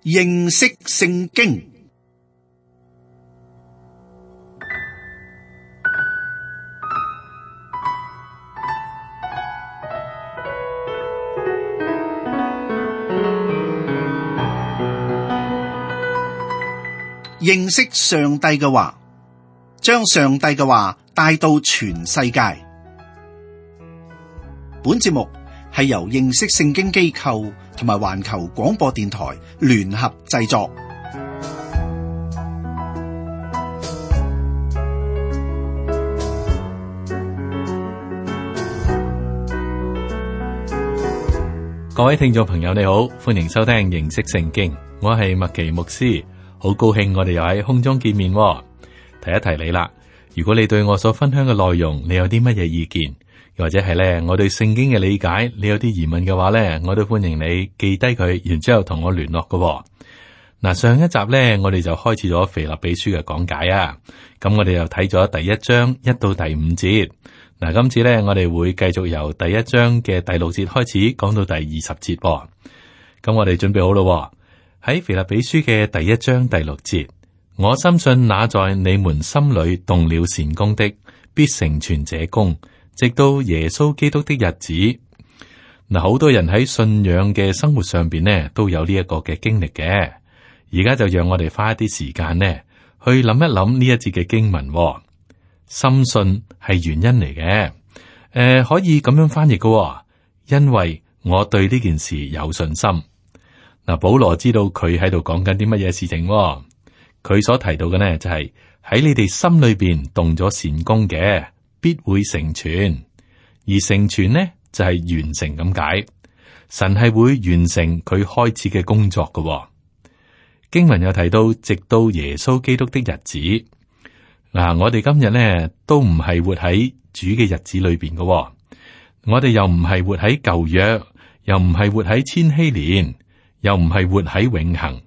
認識聖經。認識上帝嘅話，將上帝嘅話帶到全世界。本節目係由認識聖經機構同埋環球廣播電台聯合製作。各位聽眾朋友，你好，歡迎收聽認識聖經，我係麥奇牧師，好高興我哋又喺空中見面。提一提你啦，如果你對我所分享嘅內容，你有啲乜嘢意見，或者係咧我對聖經嘅理解，你有啲疑問嘅話咧，我都歡迎你記低佢，然之後同我聯絡嘅。嗱，上一集咧，我哋就開始咗腓立比書嘅講解啊。咁我哋又睇咗第一章1到第5節。嗱，今次咧我哋會繼續由第一章嘅第6節開始講到第20節。咁我哋準備好咯。喺腓立比書嘅第一章第6節，我深信那在你們心裏動了善工的，必成全這工，直到耶穌基督的日子。嗱，好多人喺信仰嘅生活上邊呢，都有呢一個嘅經歷嘅。而家就讓我哋花一啲時間呢，去諗一諗呢一節嘅經文。深信係原因嚟嘅，可以咁樣翻譯嘅，因為我對呢件事有信心。嗱，保羅知道佢喺度講緊啲乜嘢事情，佢所提到嘅呢就係喺你哋心裏邊動咗善工嘅，必會成全，而成全呢就係完成咁解。神係會完成佢開始嘅工作嘅。經文又提到，直到耶穌基督的日子。嗱，我哋今日呢都唔係活喺主嘅日子裏邊嘅，我哋又唔係活喺舊約，又唔係活喺千禧年，又唔係活喺永恆，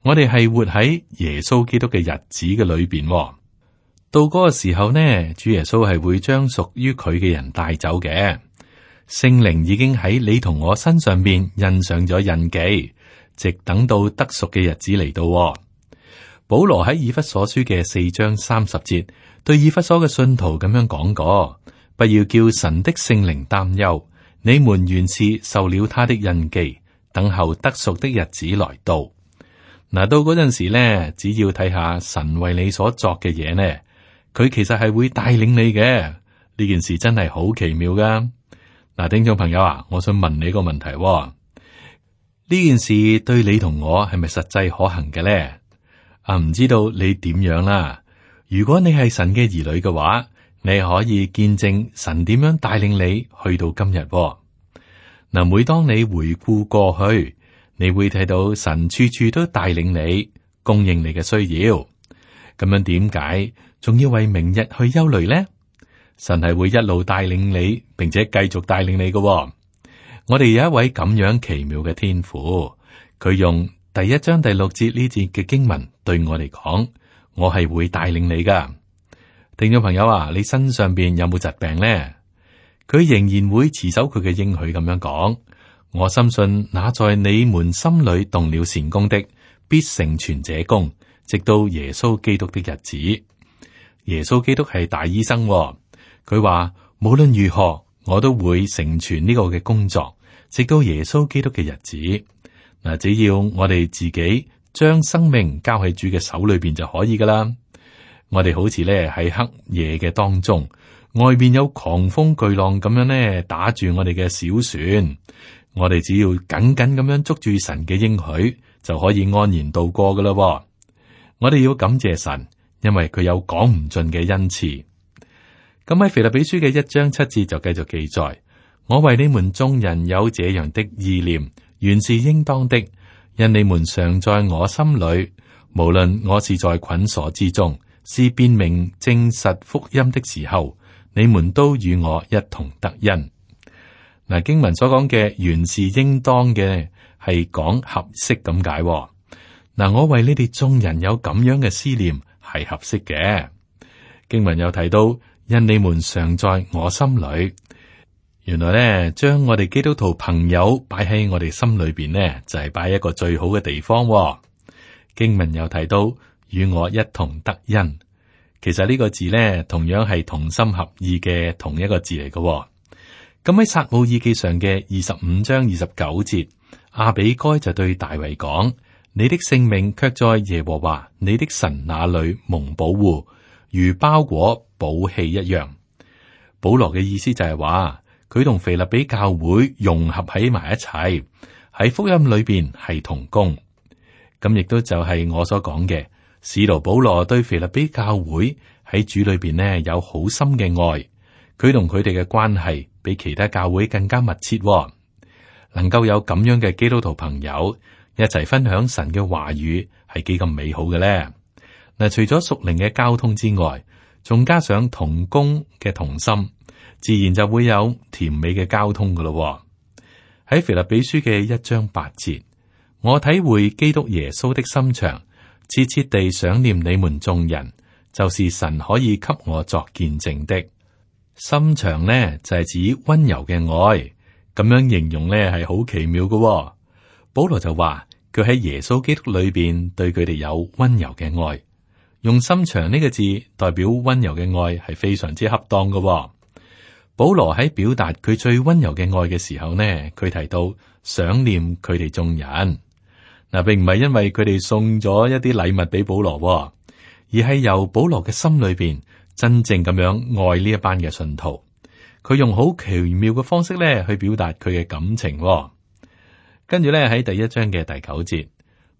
我哋係活喺耶穌基督嘅日子嘅裏邊。到嗰個時候呢，主耶穌係會將屬於佢嘅人帶走嘅。聖靈已經喺你同我身上邊印上咗印記，直等到得贖嘅日子嚟到。保羅喺以弗所書嘅4章30節，對以弗所嘅信徒咁樣講過：不要叫神的聖靈擔憂，你們原是受了他的印記，等候得贖的日子來到。嗱，到嗰陣時咧，只要睇下神為你所作嘅嘢呢，佢其實係會帶領你嘅。呢件事真係好奇妙噶。嗱，聽眾朋友啊，我想問你個問題：呢件事對你同我係咪實際可行嘅咧？唔知道你點樣啦。如果你係神嘅兒女嘅話，你可以見證神點樣帶領你去到今日。嗱，每當你回顧過去，你會睇到神處處都帶領你，供應你嘅需要。咁樣點解仲要為明日去憂慮呢？神係會一路帶領你，並且繼續帶領你嘅。我哋有一位咁樣奇妙嘅天父，佢用第一章第6節呢節嘅經文對我嚟講，我係會帶領你噶。聽眾朋友啊，你身上邊有冇疾病呢？佢仍然會持守佢嘅應許咁樣講。我深信那在你們心裏動了善工的，必成全這工，直到耶穌基督的日子。耶穌基督係大醫生，佢話無論如何，我都會成全呢個嘅工作，直到耶穌基督嘅日子。嗱，只要我哋自己將生命交喺主嘅手裏邊就可以噶啦。我哋好似咧喺黑夜嘅當中，外邊有狂風巨浪咁樣咧打住我哋嘅小船，我哋只要緊緊咁樣捉住神嘅應許，就可以安然度過噶啦。我哋要感謝神，因為佢有講唔盡嘅恩賜。咁喺腓立比書嘅1章7節就繼續記載：我為你們眾人有這樣的意念，原是應當的，因你們常在我心裏，無論我是在捆鎖之中，是辨明證實福音的時候，你們都與我一同得恩。嗱，經文所講嘅原是應當嘅，係講合適咁解。嗱，我為你哋眾人有咁樣嘅思念，係合適嘅。經文又提到，因你們常在我心裏。原來咧，將我哋基督徒朋友擺喺我哋心裏邊呢，就係擺一個最好嘅地方。經文又提到與我一同得恩，其實呢個字呢，同樣係同心合意嘅同一個字嚟嘅。咁喺撒母耳記上嘅25章29節，亞比該就對大衛講：你的性命卻在耶和華你的神那裏蒙保護，如包裹寶器一樣。保羅嘅意思就係話，佢同腓立比教會融合喺埋一齊，喺福音裏邊係同工。咁亦都就係我所講嘅，使徒保羅對腓立比教會喺主裏邊呢有好深嘅愛，佢同佢哋嘅關係比其他教會更加密切。能夠有咁樣嘅基督徒朋友一齊分享神嘅話語，係幾咁美好嘅咧。嗱，除咗屬靈嘅交通之外，仲加上同工嘅同心，自然就會有甜美嘅交通噶咯。喺腓立比書嘅1章8節，我體會基督耶穌的心腸，切切地想念你們眾人，就是神可以給我作見證的。心腸呢，就係指温柔嘅愛，咁樣形容呢係好奇妙嘅。保羅就話佢喺耶穌基督裏邊對佢哋有温柔嘅愛，用心腸呢個字代表温柔嘅愛係非常之恰當嘅。保羅喺表達佢最温柔嘅愛嘅時候呢，佢提到想念佢哋眾人。嗱，並唔係因為佢哋送咗一啲禮物俾保羅，而係由保羅嘅心裏邊真正咁樣愛呢一班嘅信徒。佢用好奇妙嘅方式咧去表達佢嘅感情。跟住咧喺第1章嘅第9節，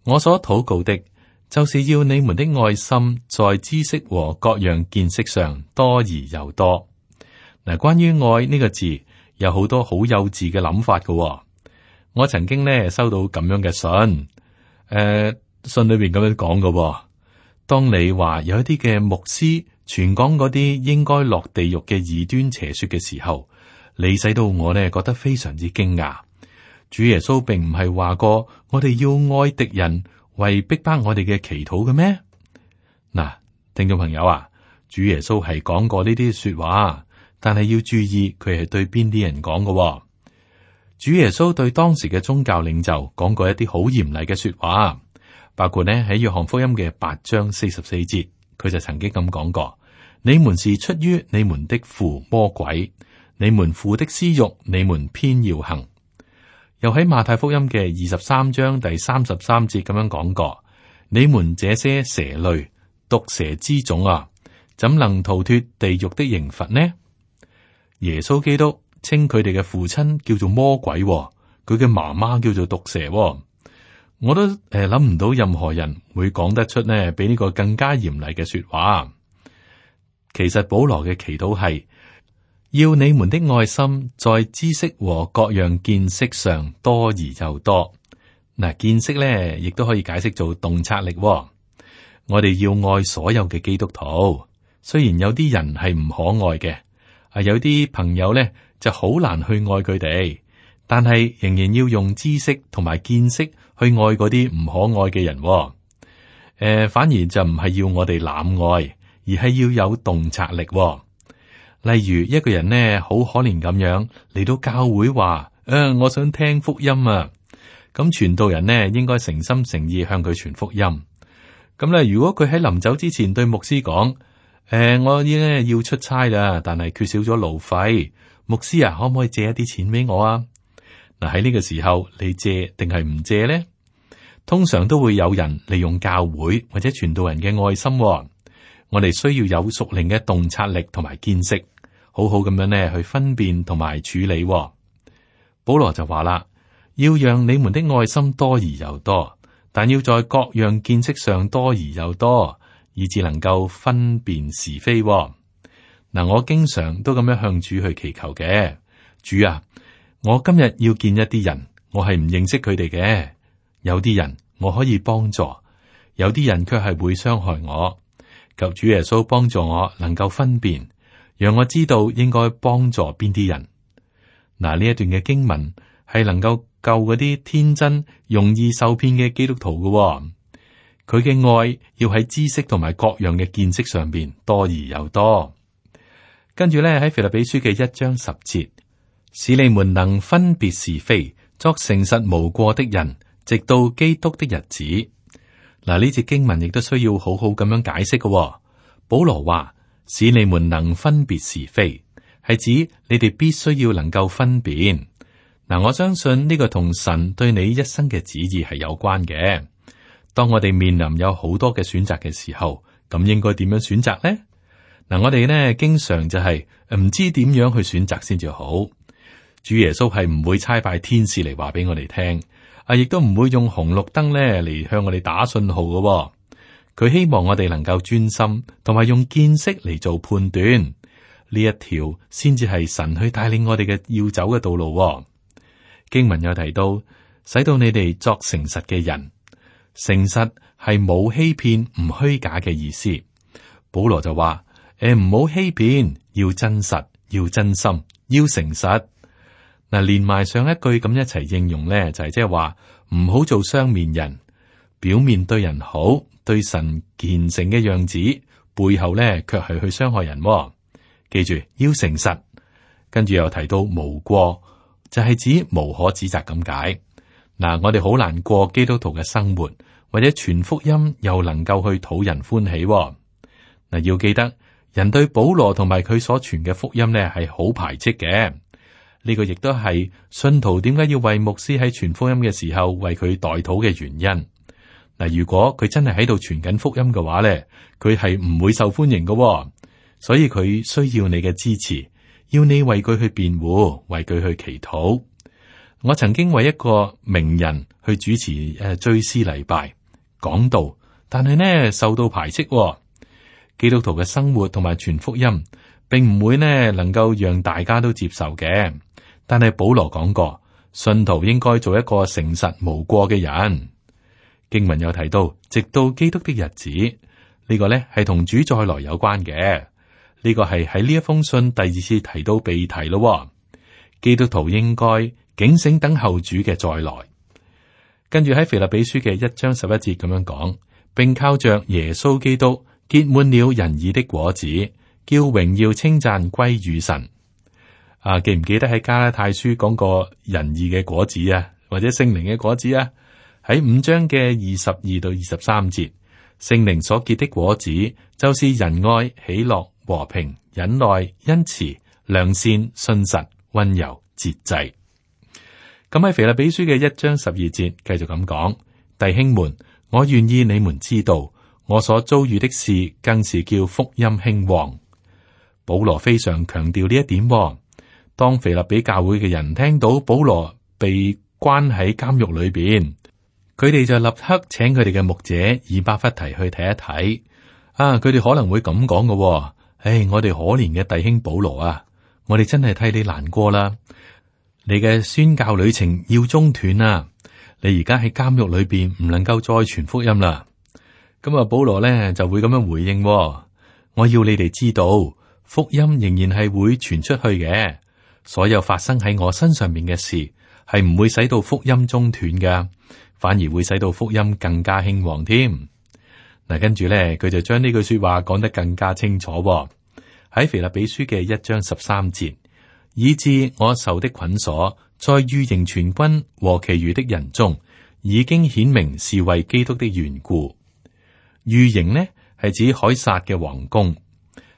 我所禱告的，就是要你們的愛心在知識和各樣見識上多而又多。嗱，關於愛呢個字，有好多好幼稚嘅諗法嘅。我曾經咧收到咁樣嘅信，信裏邊咁樣講嘅。當你話有一啲嘅牧師傳講嗰啲應該落地獄嘅異端邪說嘅時候，你使到我呢覺得非常之驚訝。主耶穌並唔係話過我哋要愛敵人為逼迫我哋嘅祈禱嘅咩？嗱，聽眾朋友啊，主耶穌係講過呢啲說話。但係要注意，佢係對邊啲人講嘅。主耶穌對當時嘅宗教領袖講過一啲好嚴厲嘅說話，包括呢喺約翰福音嘅8章44節，佢就曾經咁講過：你們是出於你們的父魔鬼，你們父的私欲，你們偏要行。又喺馬太福音嘅23章第33節咁樣講過：你們這些蛇類，毒蛇之種啊，怎能逃脫地獄的刑罰呢？耶穌基督稱佢哋嘅父親叫做魔鬼，佢嘅媽媽叫做毒蛇。我都諗唔到任何人會講得出呢比呢個更加嚴厲嘅說話。其實保羅嘅祈禱係要你們的愛心在知識和各樣見識上多而又多。嗱，見識咧亦都可以解釋做洞察力。我哋要愛所有嘅基督徒，雖然有啲人係唔可愛嘅。有啲朋友咧就好難去愛佢哋，但係仍然要用知識同埋見識去愛嗰啲唔可愛嘅人。反而就唔係要我哋濫愛，而係要有洞察力。例如一個人呢，好可憐咁樣嚟到教會話：我想聽福音啊！咁傳道人呢，應該誠心誠意向佢傳福音。咁咧，如果佢喺臨走之前對牧師講：我呢要出差啦，但係缺少咗路費。牧師啊，可唔可以借一啲錢俾我啊？嗱，喺呢個時候，你借定係唔借呢？通常都會有人利用教會或者傳道人嘅愛心。我哋需要有屬靈嘅洞察力同埋見識，好好咁樣呢去分辨同埋處理。保羅就話啦，要讓你們的愛心多而又多，但要在各樣見識上多而又多，以致能夠分辨是非。嗱，我經常都咁樣向主去祈求嘅。主啊，我今日要見一啲人，我係唔認識佢哋嘅。有啲人我可以幫助，有啲人卻係會傷害我。求主耶穌幫助我能夠分辨，讓我知道應該幫助邊啲人。嗱，呢一段嘅經文係能夠救嗰啲天真、容易受騙嘅基督徒嘅。佢嘅愛要喺知識同埋各樣嘅見識上邊多而又多。跟住咧喺腓立比書嘅1章10節，使你們能分別是非，作誠實無過的人，直到基督的日子。嗱，呢節經文亦都需要好好咁樣解釋嘅。保羅話：使你們能分別是非，係指你哋必須要能夠分辨。嗱，我相信呢個同神對你一生嘅旨意係有關嘅。當我哋面臨有好多嘅選擇嘅時候，咁應該點樣選擇呢？嗱，我哋呢經常就係唔知點樣去選擇先至好。主耶穌係唔會差派天使嚟話俾我哋聽，亦都唔會用紅綠燈咧嚟向我哋打信號嘅。佢希望我哋能夠專心，同埋用見識嚟做判斷，呢一條先至係神去帶領我哋嘅要走嘅道路。經文有提到，使到你哋作誠實嘅人，誠實係冇欺騙、唔虛假嘅意思。保羅就話：唔好欺騙，要真實，要真心，要誠實。嗱，連埋上一句咁一齊應用咧，就係即係話唔好做雙面人，表面對人好，對神虔誠嘅樣子，背後咧卻係去傷害人。記住要誠實，跟住又提到無過，就係指無可指責咁解。嗱，我哋好難過基督徒嘅生活，或者傳福音又能夠去討人歡喜。嗱，要記得人對保羅同埋佢所傳嘅福音咧係好排斥嘅。呢個亦都係信徒點解要為牧師喺傳福音嘅時候為佢代禱嘅原因。嗱，如果佢真係喺度傳緊福音嘅話咧，佢係唔會受歡迎嘅，所以佢需要你嘅支持，要你為佢去辯護，為佢去祈禱。我曾經為一個名人去主持追思禮拜講道，但係呢受到排斥。基督徒嘅生活同埋傳福音，並唔會呢能夠讓大家都接受嘅。但係保羅講過，信徒應該做一個誠實無過嘅人。經文有提到，直到基督的日子，呢個呢係同主再來有關嘅。呢個係喺呢一封信第二次提到被提咯。基督徒應該警醒等候主嘅再來。跟住喺腓立比書嘅1章11節咁樣講，並靠着耶穌基督結滿了仁義的果子，叫榮耀稱讚歸於神。記唔記得喺加拉太書講過仁義嘅果子啊，或者聖靈嘅果子啊？喺5章嘅22到23節，聖靈所結的果子就是仁愛、喜樂、和平、忍耐、恩慈、良善、信實、溫柔、節制。咁喺腓立比書嘅1章12節繼續咁講，弟兄們，我願意你們知道，我所遭遇的事，更是叫福音興旺。保羅非常強調呢一點。當腓立比教會嘅人聽到保羅被關喺監獄裏邊，佢哋就立刻請佢哋嘅牧者以巴弗提去睇一睇。佢哋可能會咁講嘅，我哋可憐嘅弟兄保羅啊，我哋真係替你難過啦。你嘅宣教旅程要中斷啊！你而家喺監獄裏邊唔能夠再傳福音啦。咁保羅咧就會咁樣回應，我要你哋知道，福音仍然係會傳出去嘅。所有發生喺我身上面嘅事，係唔會使到福音中斷㗎，反而會使到福音更加興旺添。嗱，跟住咧，佢就將呢句說話講得更加清楚。喺腓立比書嘅1章13節，以致我受的捆鎖，在御營全軍和其餘的人中，已經顯明是為基督的緣故。御營呢係指凱撒嘅皇宮。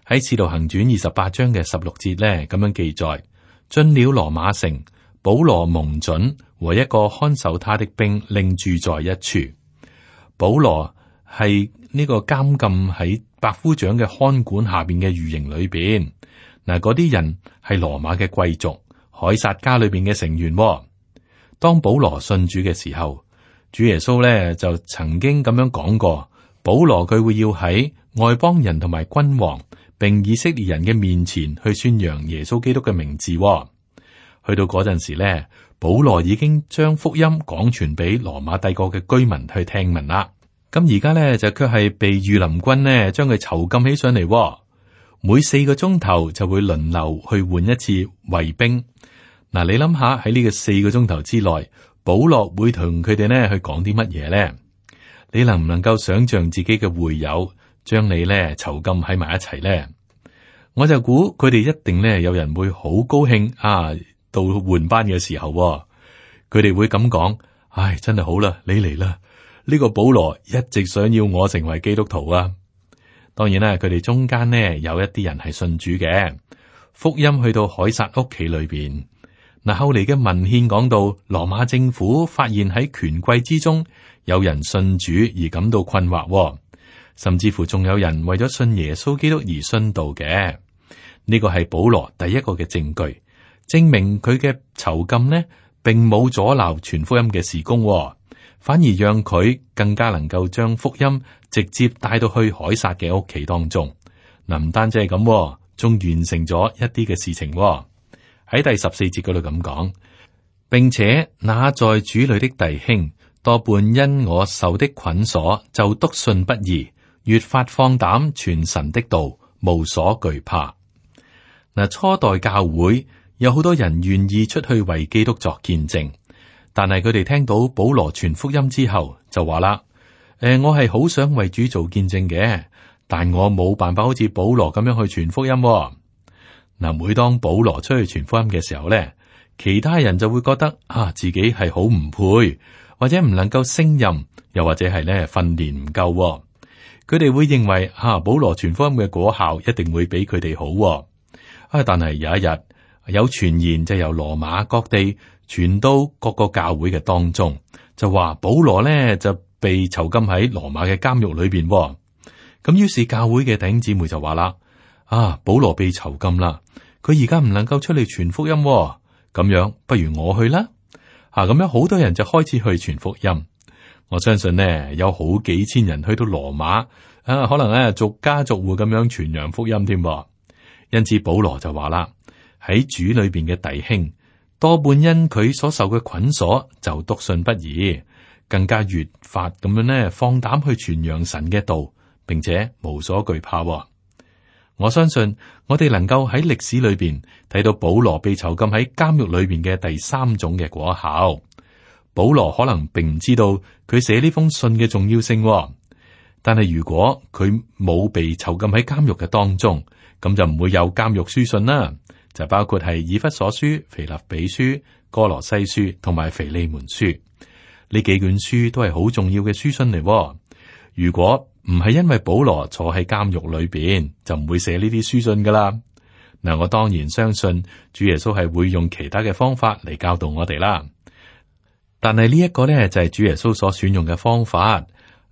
喺使徒行傳28章嘅16節咧，咁樣記載。進了羅馬城，保羅蒙准和一個看守他的兵另住在一處。保羅係呢個監禁喺百夫長嘅看管下邊嘅御營裏邊。嗱，嗰啲人係羅馬嘅貴族，凱撒家裏邊嘅成員。當保羅信主嘅時候，主耶穌咧就曾經咁樣講過，保羅佢會要喺外邦人同埋君王並以色列人嘅面前去宣揚耶穌基督嘅名字。去到嗰陣時咧，保羅已經將福音講傳俾羅馬帝國嘅居民去聽聞啦。咁而家咧就卻係被御林軍呢將佢囚禁起上嚟，每4個鐘頭就會輪流去換一次衛兵。嗱，你諗下喺呢個4個鐘頭之內，保羅會同佢哋呢去講啲乜嘢咧？你能唔能夠想象自己嘅會友將你咧囚禁喺埋一齊咧？我就估佢哋一定咧有人會好高興啊，到換班嘅時候，佢哋會咁講：唉，真係好啦，你嚟啦！呢個保羅一直想要我成為基督徒啊。當然啦，佢哋中間呢有一啲人係信主嘅，福音去到凱撒屋企裏邊。嗱，後嚟嘅文獻講到，羅馬政府發現喺權貴之中有人信主而感到困惑，甚至乎仲有人為咗信耶穌基督而殉道嘅。呢個係保羅第一個嘅證據，證明佢嘅囚禁呢，並冇阻撓傳福音嘅事工，反而讓佢更加能夠將福音直接帶到去凱撒嘅屋企當中。嗱，唔單止係咁，仲完成咗一啲嘅事情。喺第14節嗰度咁講，並且那在主裏的弟兄多半因我受的捆鎖，就篤信不疑，越發放膽傳神的道，無所懼怕。嗱，初代教會有好多人願意出去為基督作見證，但係佢哋聽到保羅傳福音之後就話啦：我係好想為主做見證嘅，但我冇辦法好似保羅咁樣去傳福音。嗱，每當保羅出去傳福音嘅時候咧，其他人就會覺得自己係好唔配，或者唔能夠勝任，又或者係咧訓練唔夠。佢哋會認為保羅傳福音嘅果效一定會比佢哋好。但係有一日有傳言就由羅馬各地傳到各個教會嘅當中，就話保羅咧就被囚禁喺羅馬嘅監獄裏邊。咁於是教會嘅弟兄姊妹就話啦：保羅被囚禁啦，佢而家唔能夠出嚟傳福音，咁樣不如我去啦。咁樣好多人就開始去傳福音。我相信呢，有好幾千人去到羅馬，可能咧逐家逐戶咁樣傳揚福音添。因此保羅就話啦：喺主裏邊嘅弟兄多半因佢所受嘅捆鎖，就篤信不疑，更加越發咁樣呢放膽去傳揚神嘅道，並且無所懼怕。我相信我哋能夠喺歷史裏邊睇到保羅被囚禁喺監獄裏邊嘅第三種嘅果效。保羅可能並唔知道佢寫呢封信嘅重要性，但係如果佢冇被囚禁喺監獄嘅當中，咁就唔會有監獄書信啦。就包括係以弗所書、腓立比書、哥羅西書同埋腓利門書，呢幾卷書都係好重要嘅書信嚟。如果唔係因為保羅坐喺監獄裏邊，就唔會寫呢啲書信噶啦。嗱，我當然相信主耶穌係會用其他嘅方法嚟教導我哋啦。但係呢一個呢，就係主耶穌所選用嘅方法，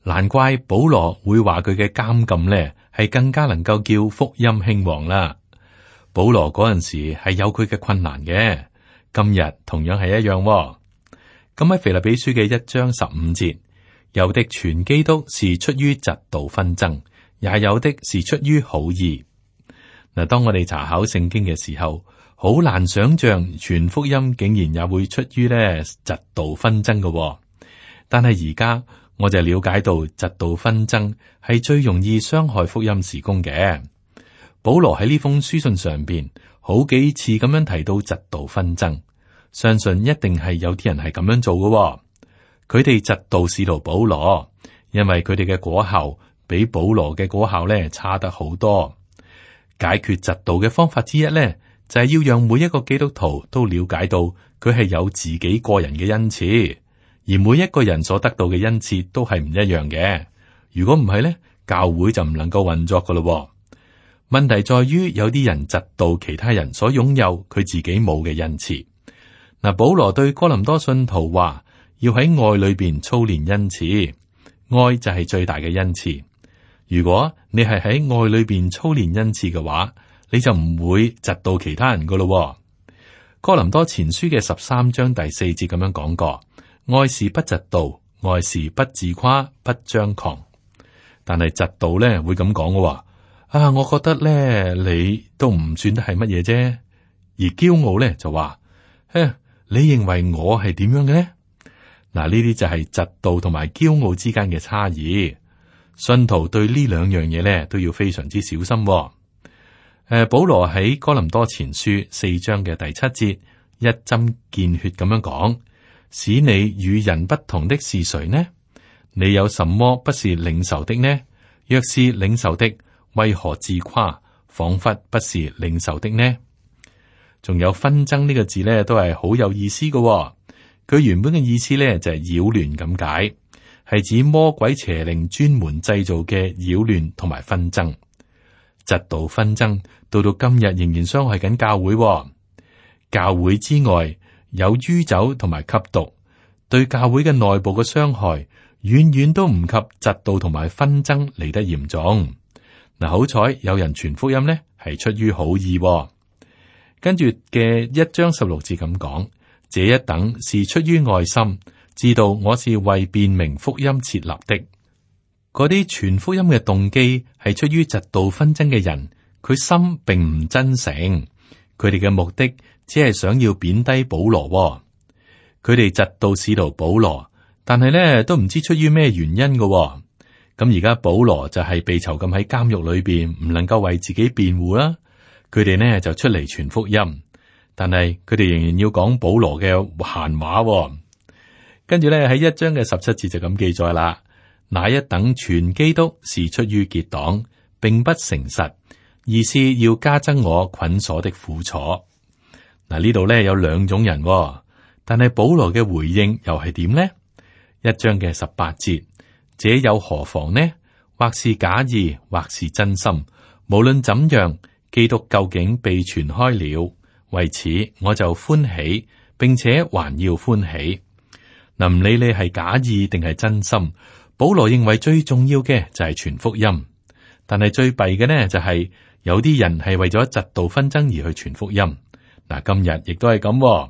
難怪保羅會話佢嘅監禁呢係更加能夠叫福音興旺啦。保羅嗰陣時係有佢嘅困難嘅，今日同樣係一樣。咁喺腓立比書嘅1章15節，有的傳基督是出於嫉妒紛爭，也有的是出於好意。嗱，當我哋查考聖經嘅時候，好難想象傳福音竟然也會出於呢嫉妒紛爭嘅。但係而家我就了解到嫉妒紛爭係最容易傷害福音事工嘅。保羅喺呢封書信上邊好幾次咁樣提到嫉妒紛爭，相信一定係有啲人係咁樣做嘅。佢哋嫉妒使徒保羅，因為佢哋嘅果效比保羅嘅果效咧差得好多。解決嫉妒嘅方法之一咧，就係要讓每一個基督徒都了解到佢係有自己個人嘅恩賜，而每一個人所得到嘅恩賜都係唔一樣嘅。如果唔係咧，教會就唔能夠運作噶咯。問題在於有啲人嫉妒其他人所擁有佢自己冇嘅恩賜。嗱，保羅對哥林多信徒話，要喺愛裏邊操練恩賜，愛就係最大嘅恩賜。如果你係喺愛裏邊操練恩賜嘅話，你就唔會嫉妒其他人噶咯。哥林多前書嘅13章第4節咁樣講過，愛是不嫉妒，愛是不自誇，不張狂。但係嫉妒咧會咁講嘅，我覺得咧你都唔算得係乜嘢啫。而驕傲咧就話，你認為我係點樣嘅咧？嗱，呢啲就係嫉妒同埋驕傲之間嘅差異。信徒對呢兩樣嘢咧都要非常之小心。保羅喺哥林多前書4章嘅第7節一針見血咁樣講，使你與人不同的是誰呢？你有什麼不是領受的呢？若是領受的，為何自誇，仿佛不是領受的呢？仲有紛爭呢個字咧，都係好有意思嘅。佢原本嘅意思咧就係擾亂咁解，係指魔鬼邪靈專門製造嘅擾亂同埋紛爭。嫉妒紛爭到今日仍然傷害緊教會。教會之外有酗酒同埋吸毒，對教會嘅內部嘅傷害遠遠都唔及嫉妒同埋紛爭嚟得嚴重。嗱，好彩有人傳福音呢，係出於好意。跟住嘅1章16節咁講，這一等是出於愛心，知道我是為辨明福音設立的。嗰啲傳福音嘅動機係出於嫉妒紛爭嘅人，佢心並唔真誠，佢哋嘅目的只係想要貶低保羅。佢哋嫉妒使徒保羅，但係咧都唔知出於咩原因嘅。咁而家保羅就係被囚禁喺監獄裏邊，唔能夠為自己辯護啦。佢哋呢就出嚟傳福音，但係佢哋仍然要講保羅嘅閒話。跟住咧喺1章嘅17節就咁記載啦。那一等傳基督是出於結黨，並不誠實，而是要加增我捆鎖的苦楚。嗱，呢度咧有2種人，但係保羅嘅回應又係點呢？1章嘅18節，這又何妨呢？或是假意，或是真心，無論怎樣，基督究竟被傳開了，為此我就歡喜，並且還要歡喜。嗱，唔理你係假意定係真心，保羅認為最重要嘅就係傳福音。但係最弊嘅呢，就係有啲人係為咗嫉妒紛爭而去傳福音。嗱，今日亦都係咁。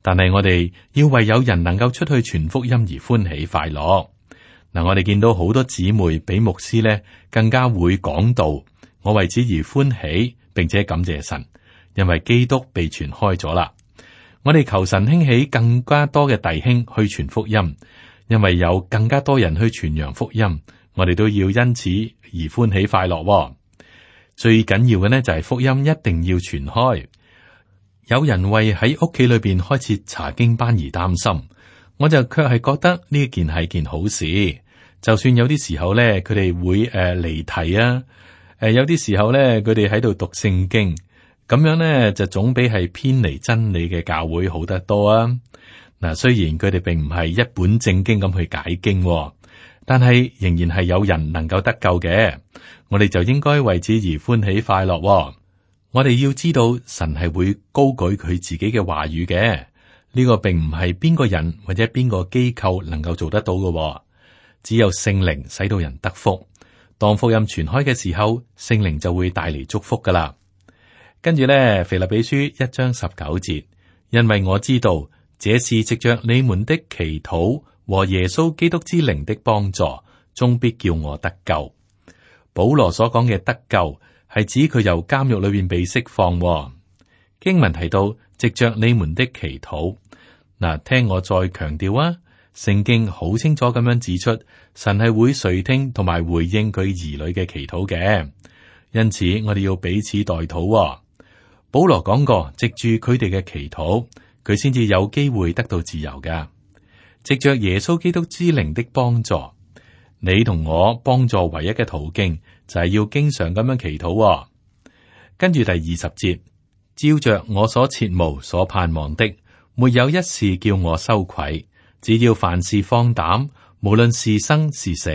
但係我哋要為有人能夠出去傳福音而歡喜快樂。嗱，我哋見到好多姊妹比牧師呢更加會講道，我為此而歡喜，並且感謝神，因為基督被傳開咗啦。我哋求神興起更加多嘅弟兄去傳福音，因為有更加多人去傳揚福音，我哋都要因此而歡喜快樂。最緊要嘅呢就係福音一定要傳開。有人為喺屋企裏邊開設查經班而擔心，我就卻係覺得呢件係件好事。就算有啲時候咧，佢哋會離題啊，有啲時候咧，佢哋喺度讀聖經，咁樣咧就總比係偏離真理嘅教會好得多啊。嗱，雖然佢哋並唔係一本正經咁去解經，但係仍然係有人能夠得救嘅。我哋就應該為此而歡喜快樂。我哋要知道神係會高舉佢自己嘅話語嘅，呢個並唔係邊個人或者邊個機構能夠做得到嘅，只有聖靈使到人得福。當福音傳開嘅時候，聖靈就會帶嚟祝福噶啦。跟住咧，腓立比書1章19節，因為我知道這是藉着你們的祈禱和耶穌基督之靈的幫助，終必叫我得救。保羅所講嘅得救，係指佢由監獄裏邊被釋放。經文提到藉着你們的祈禱，嗱，聽我再強調啊，聖經好清楚咁樣指出，神係會垂聽同埋回應佢兒女嘅祈禱嘅，因此我哋要彼此代禱。保羅講過，藉住佢哋嘅祈禱，佢先至有機會得到自由噶。藉着耶穌基督之靈的幫助，你同我幫助唯一嘅途徑就係要經常咁樣祈禱。跟住第20節，照着我所切慕所盼望的，沒有一事叫我羞愧，只要凡事放膽，無論是生是死，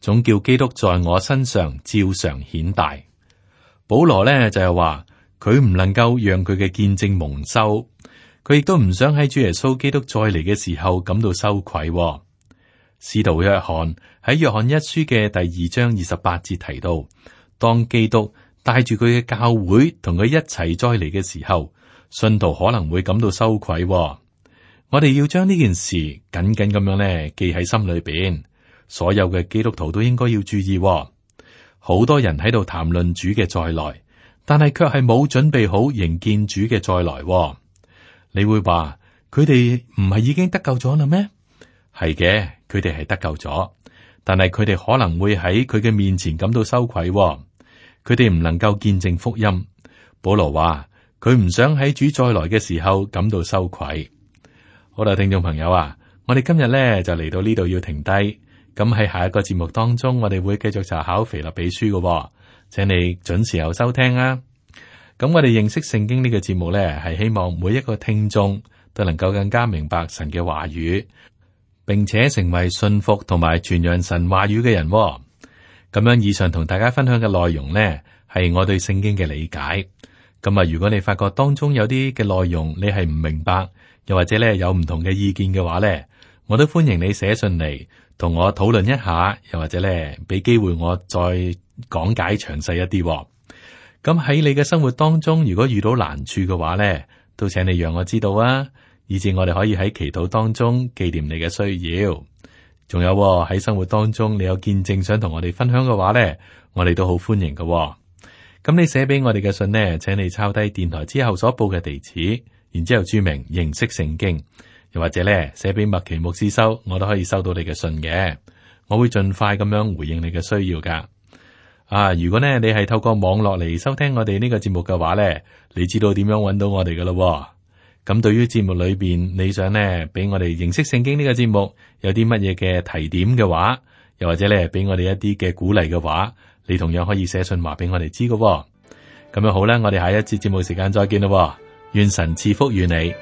總叫基督在我身上照常顯大。保羅呢就係話，佢唔能夠讓佢嘅見證蒙羞，佢亦都唔想喺主耶穌基督再嚟嘅時候感到羞愧。使徒約翰喺約翰一書嘅第2章28節提到，當基督帶住佢嘅教會同佢一齊再嚟嘅時候，信徒可能會感到羞愧。我哋要將呢件事緊緊咁樣咧記喺心裏邊，所有嘅基督徒都應該要注意。好多人喺度談論主嘅再來，但係卻係冇準備好迎見主嘅再來。你會話佢哋唔係已經得救咗啦咩？係嘅，佢哋係得救咗，但係佢哋可能會喺佢嘅面前感到羞愧。佢哋唔能夠見證福音。保羅話佢唔想喺主再來嘅時候感到羞愧。好啦，聽眾朋友啊，我哋今日咧就嚟到呢度要停低。咁喺下一個節目當中，我哋會繼續查考腓立比書嘅，請你準時候收聽啊。咁我哋認識聖經呢個節目呢，係希望每一個聽眾都能夠更加明白神嘅話語，並且成為信服同埋傳揚神話語嘅人。咁樣以上同大家分享嘅內容呢，係我對聖經嘅理解。咁啊，如果你發覺當中有啲嘅內容你係唔明白，又或者咧有唔同嘅意見嘅話咧，我都歡迎你寫信嚟同我討論一下，又或者咧俾機會我再講解詳細一啲。咁喺你嘅生活當中，如果遇到難處嘅話咧，都請你讓我知道啊，以至我哋可以喺祈禱當中紀念你嘅需要。仲有喺生活當中，你有見證想同我哋分享嘅話咧，我哋都好歡迎嘅。咁你寫俾我哋嘅信呢，請你抄低電台之後所報嘅地址，然之後注明認識聖經，又或者咧寫俾麥奇牧師收，我都可以收到你嘅信嘅。我會盡快咁樣回應你嘅需要噶。如果呢你係透過網絡嚟收聽我哋呢個節目嘅話呢，你知道點樣揾到我哋噶咯。咁對於節目裏邊你想呢俾我哋認識聖經呢個節目有啲乜嘢嘅提點嘅話，又或者咧俾我哋一啲嘅鼓勵嘅話，你同樣可以寫信話俾我哋知嘅。咁樣好啦，我哋下一節節目時間再見咯。願神賜福與你。